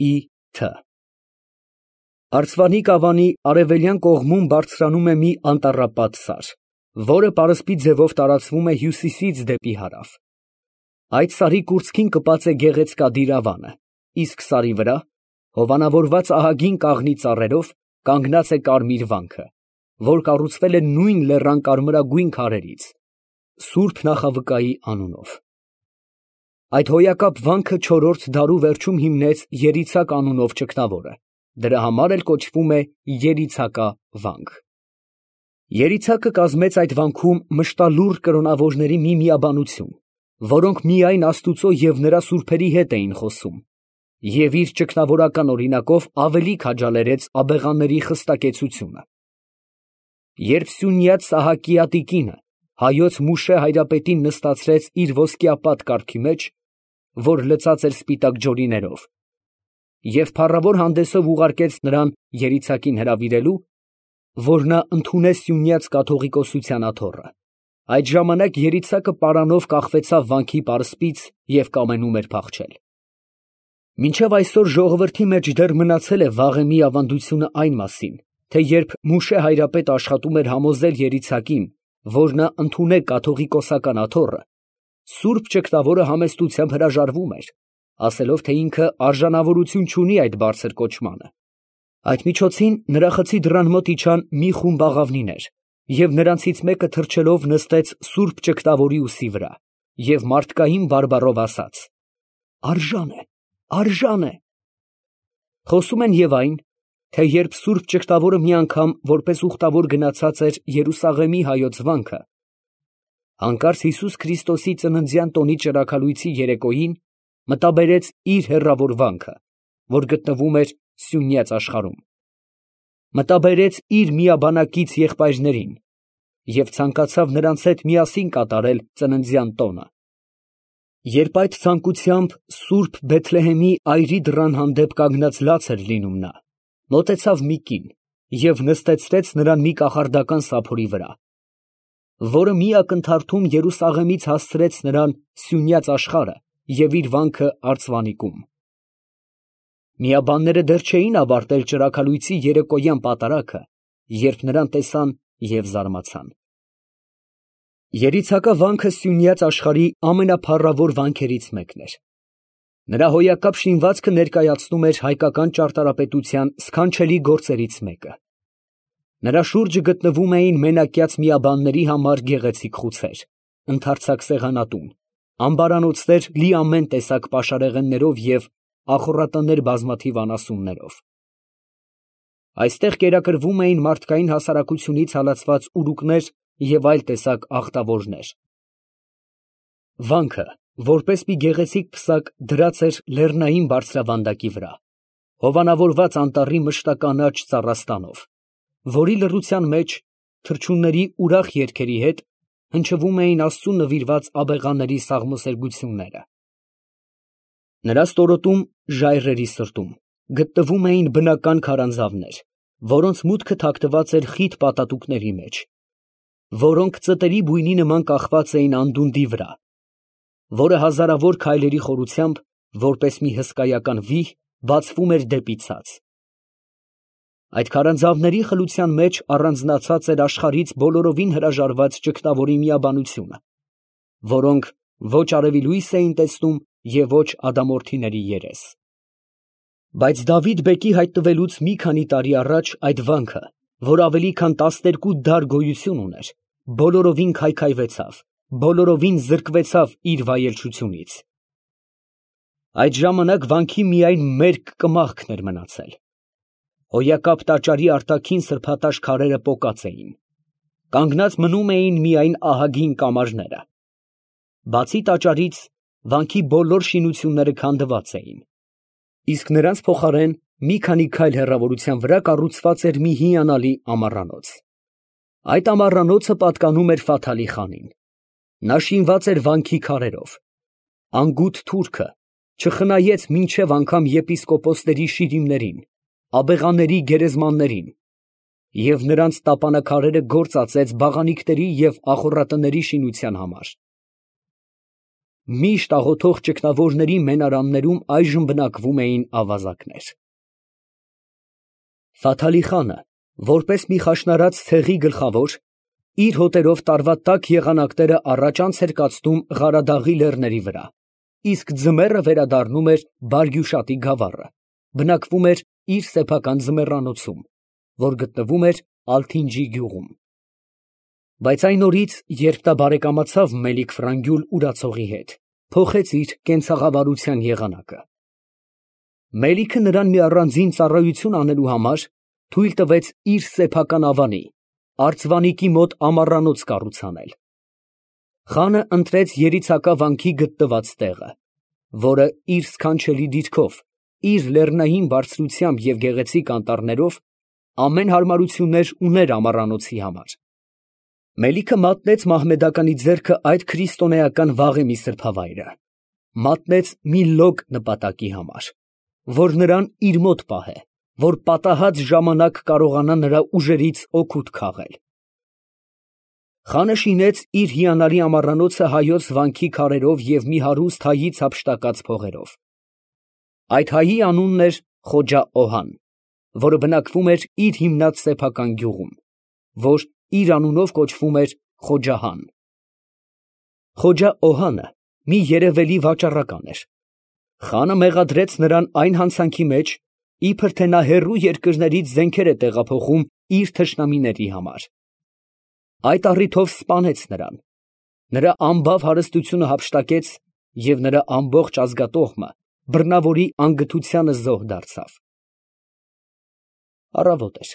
Թ. Արցվանի կավանի արևելյան կողմում բարձրանում է մի անտառապատ սար, որը պարսպի ձևով տարածվում է հյուսիսից դեպի հարավ։ Այդ սարի կուրծքին կպած է գեղեցկադիր ավանը, իսկ սարի վրա, հովանավորված ահագին կաղնի ծառերով, կանգնած է կարմիր վանքը, որ կառուցվել է նույն լեռան կարմրագույն քարերից, Սուրբ Նախավկայի անունով։ Այդ հոյակապ վանքը չորրորդ դարու վերջում հիմնեց Երիցակ անունով չքնավորը, դրա համար էլ կոչվում է Երիցակա վանք։ Երիցակը կազմեց այդ վանքում մշտալուռ կրոնավորների մի միաբանություն, որոնք միայն Աստուծո և նրա սուրբերի հետ էին խոսում, և իր ճգնավորական օրինակով ավելի քաջալերեց աբեղաների խստակեցությունը։ Երբ Սյունյաց Սահակիատի կինը հայոց Մուշե Հայրապետին նստացրեց իր ոսկեապատ կառքի մեջ, որ լցած էր սպիտակ ջորիներով, և փառավոր հանդեսով ուղարկեց նրան Երիցակին հրավիրելու, որ նա ընդունե Սյունյաց կաթողիկոսության աթոռը, այդ ժամանակ Երիցակը պարանով կախվեցավ վանքի պարսպից և կամենում էր փախչել։ Մինչև այսօր ժողովրդի մեջ դեռ մնացել է վաղեմի ավանդությունը այն մասին, թե երբ Մուշե Հայրապետը աշխատում էր համոզել Երիցակին, որ նա ընդունե կաթողիկոսական աթոռը, Սուրբ ճգնավորը համեստությամբ հրաժարվում էր, ասելով, թե ինքը արժանավորություն չունի այդ բարձր կոչմանը։ Այդ միջոցին նրա խցի դռան մոտ իջան մի խումբ աղավնիներ, և նրանցից մեկը թռչելով նստեց Սուրբ ճգնավորի ուսի վրա և մարդկային բարբառով ասաց. «Արժան է, արժան է»։ Խոսում են և այն, թե երբ Սուրբ ճգնավորը մի անգամ որպես ուխտավոր գնացած էր Երուսաղեմի հայոց վանքը, հանկարծ Հիսուս Քրիստոսի ծննդյան տոնի ճրագալույցի երեկոյին մտաբերեց իր հեռավոր վանքը, որ գտնվում էր Սյունյաց աշխարհում, մտաբերեց իր միաբանակից եղբայրներին և ցանկացավ նրանց հետ միասին կատարել ծննդյան տոնը։ Երբ այդ ցանկությամբ Սուրբ Բեթլեհեմի այրի դռան հանդեպ կանգնած լաց էր լինում նա, մոտեցավ մի կին և նստեցրեց նրան մի կախարդական սափորի վրա, որը մի ակնթարթում Երուսաղեմից հասցրեց նրան Սյունյաց աշխարհը և իր վանքը արծվանիկում։ Միաբանները դեռ չէին ավարտել ճրագալույցի երեկոյան պատարագը, երբ նրան տեսան և զարմացան։ Երիցակա վանքը Սյունյաց աշխարհի ամենափառավոր վանքերից մեկն էր։ Նրա հոյակապ շինվածքը ներկայացնում էր հայկական ճարտարապետության սքանչելի գործերից մեկը։ Նրա շուրջը գտնվում էին մենակյաց միաբանների համար գեղեցիկ խուցեր, ընդարձակ սեղանատուն, ամբարանոցներ լի ամեն տեսակ պաշարեղեններով և ախոռատներ բազմաթիվ անասուններով։ Այստեղ կերակրվում էին մարդկային հասարակությունից հալածված ուրուկներ և այլ տեսակ աղտավորներ։ Վանքը, որպես մի գեղեցիկ պսակ, դրած էր լեռնային բարձրավանդակի վրա, հովանավորված անտառի մշտականաչ ծառաստանով, որի լռության մեջ թռչունների ուրախ երգերի հետ հնչվում էին Աստծու նվիրված աբեղաների սաղմոսերգությունները։ Նրա ստորոտում, ժայռերի սրտում, գտնվում էին բնական քարանձավներ, որոնց մուտքը թաքնված էր խիտ պատատուկների մեջ, որոնք ծտերի բույնի նման կախված էին անդունդի վրա, որը հազարավոր քայլերի խորությամբ, որպես մի հսկայական վիհ, բացվում էր դեպի ցած։ Այդ քարանձավների խլության մեջ առանձնացած էր աշխարհից բոլորովին հրաժարված ճգնավորի միաբանությունը, որոնք ոչ արևի լույս էին տեսնում և ոչ ադամորդիների երես։ Բայց Դավիթ բեկի հայտնվելուց մի քանի տարի առաջ այդ վանքը, որ ավելի քան 12 դար գոյություն ուներ, բոլորովին քայքայվեցավ, բոլորովին զրկվեցավ իր վայելչությունից։ Այդ ժամանակ վանքի միայն մերկ կմախքն էր մնացել։ Հոյակապ տաճարի արտաքին սրբատաշ քարերը պոկած էին։ Կանգնած մնում էին միայն ահագին կամարները։ Բացի տաճարից, վանքի բոլոր շինությունները քանդված էին, իսկ նրանց փոխարեն մի քանի քայլ հեռավորության վրա կառուցված էր մի հիանալի ամառանոց։ Այդ ամառանոցը պատկանում էր Ֆաթալի խանին։ Նա շինված էր վանքի քարերով։ Անգութ թուրքը չխնայեց մինչև անգամ եպիսկոպոսների շիրիմներին, աբեղաների գերեզմաններին և նրանց տապանաքարերը գործածեց բաղանիքների և ախոռատների շինության համար։ Միշտ աղոթող ճգնավորների մենարաններում այժմ բնակվում էին ավազակներ։ Ֆաթալի խանը, որպես մի խաշնարած ցեղի գլխավոր, իր հոտերով տարվա տաք եղանակները առաջ անց էր կացնում Ղարադաղի լեռների վրա, իսկ ձմեռը վերադառնում էր Բարգյուշատի գավառը, բնակվում էր իր սեփական ձմեռանոցում, որ գտնվում էր Ալթինջի գյուղում։ Բայց այն օրից, երբ նա բարեկամացավ Մելիք Ֆրանգյուլ урացողի հետ, փոխեց իր կենցաղավարության եղանակը։ Մելիքը նրան մի առանձին ծառայություն անելու համար թույլ տվեց իր սեփական ավանի, արծվանիկի մոտ ամառանոց կառուցանել։ Խանը ընտրեց երիցակա վանքի գտնված տեղը, որը իր սքանչելի դիրքով, իր լեռնային բարձրությամբ և գեղեցիկ անտառներով ամեն հարմարություններ ուներ ամառանոցի համար։ Մելիքը մատնեց մահմեդականի ձեռքը այդ քրիստոնեական վաղեմի սրբավայրը, մատնեց մի լոկ նպատակի համար, որ նրան իր մոտ պահե, որ պատահած ժամանակ կարողանա նրա ուժերից օգուտ քաղել։ Խանը շինեց իր հիանալի ամառանոցը հայոց վանքի քարերով և մի հարուստ հայից հափշտակած փողերով։ Այդ հայի անունն էր Խոջա Օհան, որը բնակվում էր իր հիմնած սեփական գյուղում, որ իր անունով կոչվում էր Խոջահան։ Խոջա Օհանը մի երևելի վաճառական էր։ Խանը մեղադրեց նրան այն հանցանքի մեջ, իբր թե նա հեռու երկրներից զենքեր է տեղափոխում իր թշնամիների համար։ Այդ առիթով սպանեց նրան, նրա ամբավ հարստությունը հափշտակեց և նրա ամբողջ ազգատոհմը բռնավորի անգթությանը զոհ դարձավ։ Առավոտ էր,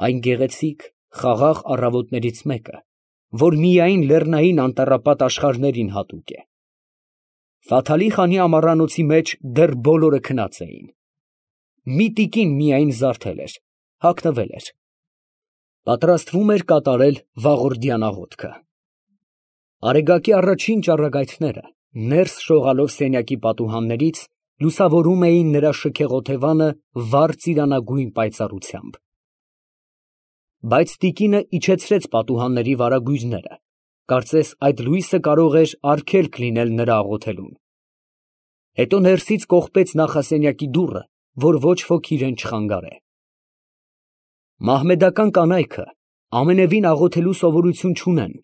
այն գեղեցիկ, խաղաղ առավոտներից մեկը, որ միայն լեռնային անտառապատ աշխարհներին հատուկ է։ Ֆաթալի խանի ամառանոցի մեջ դեռ բոլորը քնած էին։ Մի տիկին միայն զարթել էր, հագնվել էր, պատրաստվում էր կատարել վաղորդյան աղոթքը։ Արեգակի առաջին ճառագայթները, ներս շողալով սենյակի պատուհաններից, լուսավորում էին նրա շքեղ օթևանը վառ ծիրանագույն պայծառությամբ։ Բայց տիկինը իջեցրեց պատուհանների վարագույրները, կարծես այդ լույսը կարող էր արգելք լինել նրա աղոթելուն։ Հետո ներսից կողպեց նախասենյակի դուռը, որ ոչ ոք իրեն չխանգարե։ Մահմեդական կանայքը ամենևին աղոթելու սովորություն չունեն,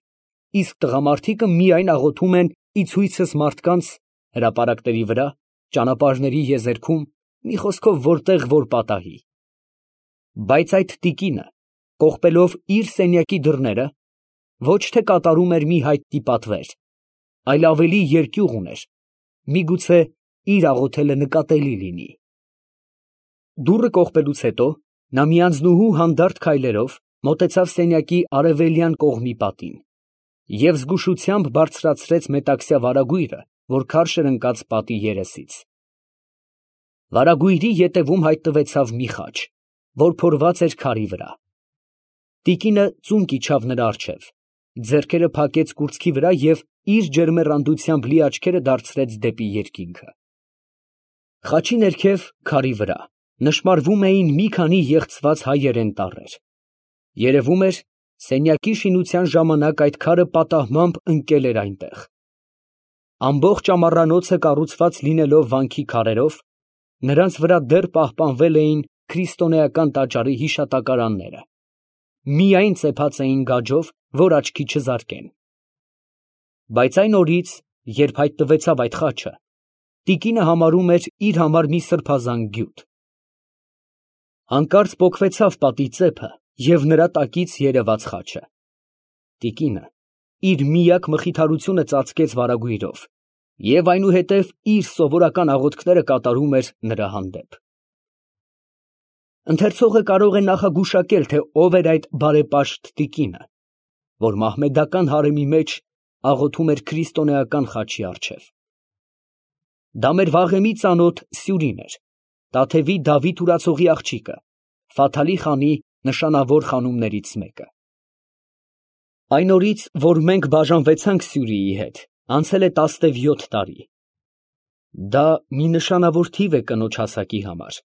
իսկ տղամարդիկը միայն աղոթում են ի ցույցս մարդկանց, հրապարակների վրա, ճանապարհների եզերքում, մի խոսքով որտեղ որ պատահի։ Բայց այդ տիկինը, կողպելով իր սենյակի դռները, ոչ թե կատարում էր մի հայտնի պատվեր, այլ ավելի երկյուղ ուներ, միգուցե իր աղոթելը նկատելի լինի։ Դուռը կողպելուց հետո նա մի անձնուհու հանդարտ քայլերով մոտեցավ սենյակի արևելյան կողմի պատին և զգուշությամբ բարձրացրեց մետաքսյա վարագույրը, որ քարշ էր ընկած պատի երեսից։ Վարագույրի ետևում հայտնվեցավ մի խաչ, որ փորված էր քարի վրա։ Տիկինը ծունկ իջավ նրա առջև, ձեռքերը փակեց կուրծքի վրա և իր ջերմեռանդությամբ լի աչքերը դարձրեց դեպի երկինքը։ Խաչի ներքև, քարի վրա, նշմարվում էին մի քանի եղծված հայերեն տառեր։ Երևում էր, սենյակի շինության ժամանակ այդ քարը պատահմամբ ընկել էր այնտեղ։ Ամբողջ ամառանոցը կառուցված լինելով վանքի քարերով, նրանց վրա դեռ պահպանվել էին քրիստոնեական տաճարի հիշատակարանները, միայն ծեփած էին գաջով, որ աչքի չզարկեն։ Բայց այն օրից, երբ հայտնվեցավ այդ խաչը, տիկինը համարում էր իր համար մի սրբազան գյուտ։ Հանկարծ պոկվեցավ պատի ծեփը և նրա տակից երևաց խաչը։ Տիկինը իր միակ մխիթարությունը ծածկեց վարագույրով և այնուհետև իր սովորական աղոթքները կատարում էր նրա հանդեպ։ Ընթերցողը կարող է նախագուշակել, թե ով էր այդ բարեպաշտ տիկինը, որ մահմեդական հարեմի մեջ աղոթում էր քրիստոնեական խաչի առջև։ Դա մեր վաղեմի ծանոթ Սյուրին էր, Տաթևի Դավիթ урացողի աղջիկը, Ֆաթալի խանի նշանավոր խանումներից մեկը։ Այն օրից, որ մենք բաժանվեցանք Սյուրիի հետ, անցել է 17 տարի։ Դա մի նշանավոր թիվ է կնոջ հասակի համար։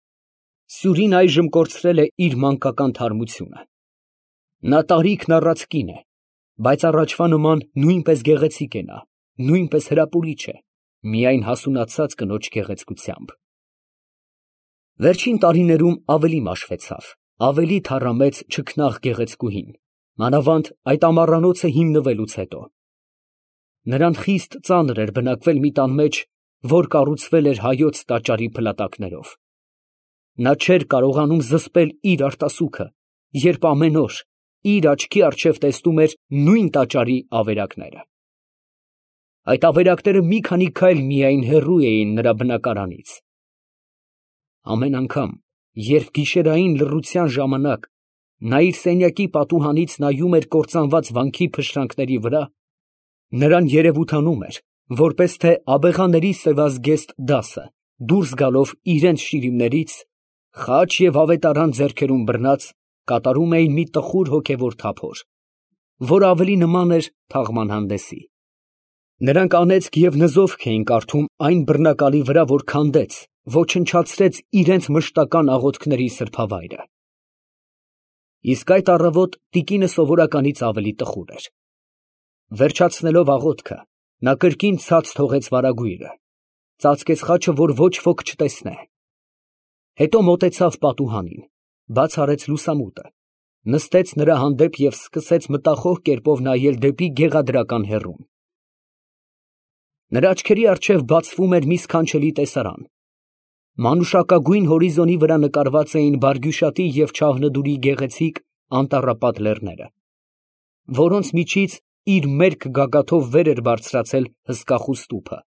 Սյուրին այժմ կորցրել է իր մանկական թարմությունը։ Նա տարիքն առած կին է, բայց առաջվա նման նույնպես գեղեցիկ է նա, նույնպես հրապուրիչ է, միայն հասունացած կնոջ գեղեցկությամբ։ Վերջին տարիներում ավելի մաշվեցավ, ավելի թառամեց չքնաղ գեղեցկուհին, մանավանդ այդ ամառանոցը հիմնվելուց հետո։ Նրան խիստ ծանր էր բնակվել մի տան մեջ, որ կառուցվել էր հայոց տաճարի փլատակներով։ Նա չէր կարողանում զսպել իր արտասուքը, երբ ամեն օր իր աչքի առջև տեսնում էր նույն տաճարի ավերակները։ Այդ ավերակները մի քանի քայլ միայն հեռու էին նրա բնակարանից։ Ամեն անգամ, երբ գիշերային լռության ժամանակ նա իր սենյակի պատուհանից նայում էր կործանված վանքի փշրանքների վրա, նրան երևութանում էր, որպես թե աբեղաների սևազգեստ դասը, դուրս գալով իրենց շիրիմներից, խաչ և ավետարան ձեռքերում բռնած, կատարում էին մի տխուր հոգևոր թափոր, որ ավելի նման էր թաղման հանդեսի։ Նրանք անեծք և նզովք էին կարդում այն բռնակալի վրա, որ քանդեց, ոչնչացրեց իրենց մշտական աղոթքների սրբավայրը։ Իսկ այդ առավոտ տիկինը սովորականից ավելի տխուր էր։ Վերջացնելով աղոթքը, նա կրկին ցած թողեց վարագույրը, ծածկեց խաչը, որ ոչ ոք չտեսնե։ Հետո մոտեցավ պատուհանին, բաց արեց լուսամուտը, նստեց նրա հանդեպ և սկսեց մտախոհ կերպով նայել դեպի գեղադրական հեռուն։ Նրա աչքերի առջև բացվում էր մի սքանչելի տեսարան։ Մանուշակագույն հորիզոնի վրա նկարված էին Բարգյուշատի և Չաղնուդուրի գեղեցիկ անտառապատ լեռները, որոնց միջից իր մերկ գագաթով վեր էր բարձրացել հսկախու ստուփը։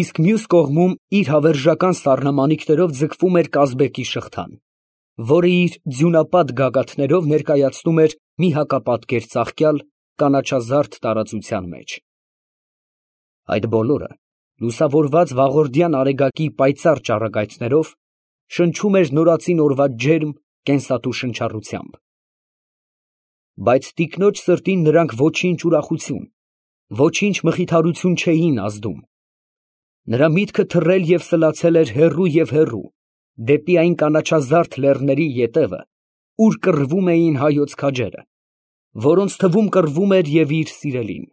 Իսկ մյուս կողմում իր հավերժական սառնամանիքներով ձգվում էր Կազբեկի շղթան, որը իր ձյունապատ գագաթներով ներկայացնում էր մի հակապատկեր ծաղկյալ կանաչազարդ տարածության մեջ։ Այդ բոլորը, լուսավորված վաղորդյան արեգակի պայծառ ճառագայթներով, շնչում էր նորածին օրվա ջերմ, կենսատու շնչառությամբ։ Բայց տիկնոջ սրտին նրանք ոչինչ ուրախություն, ոչինչ մխիթարություն չէին ազդում։ Նրա միտքը թռել և սլացել էր հեռու և հեռու, դեպի այն կանաչազարդ լեռների ետևը, ուր կռվում էին հայոց քաջերը, որոնց թվում կռվում էր և իր սիրելին։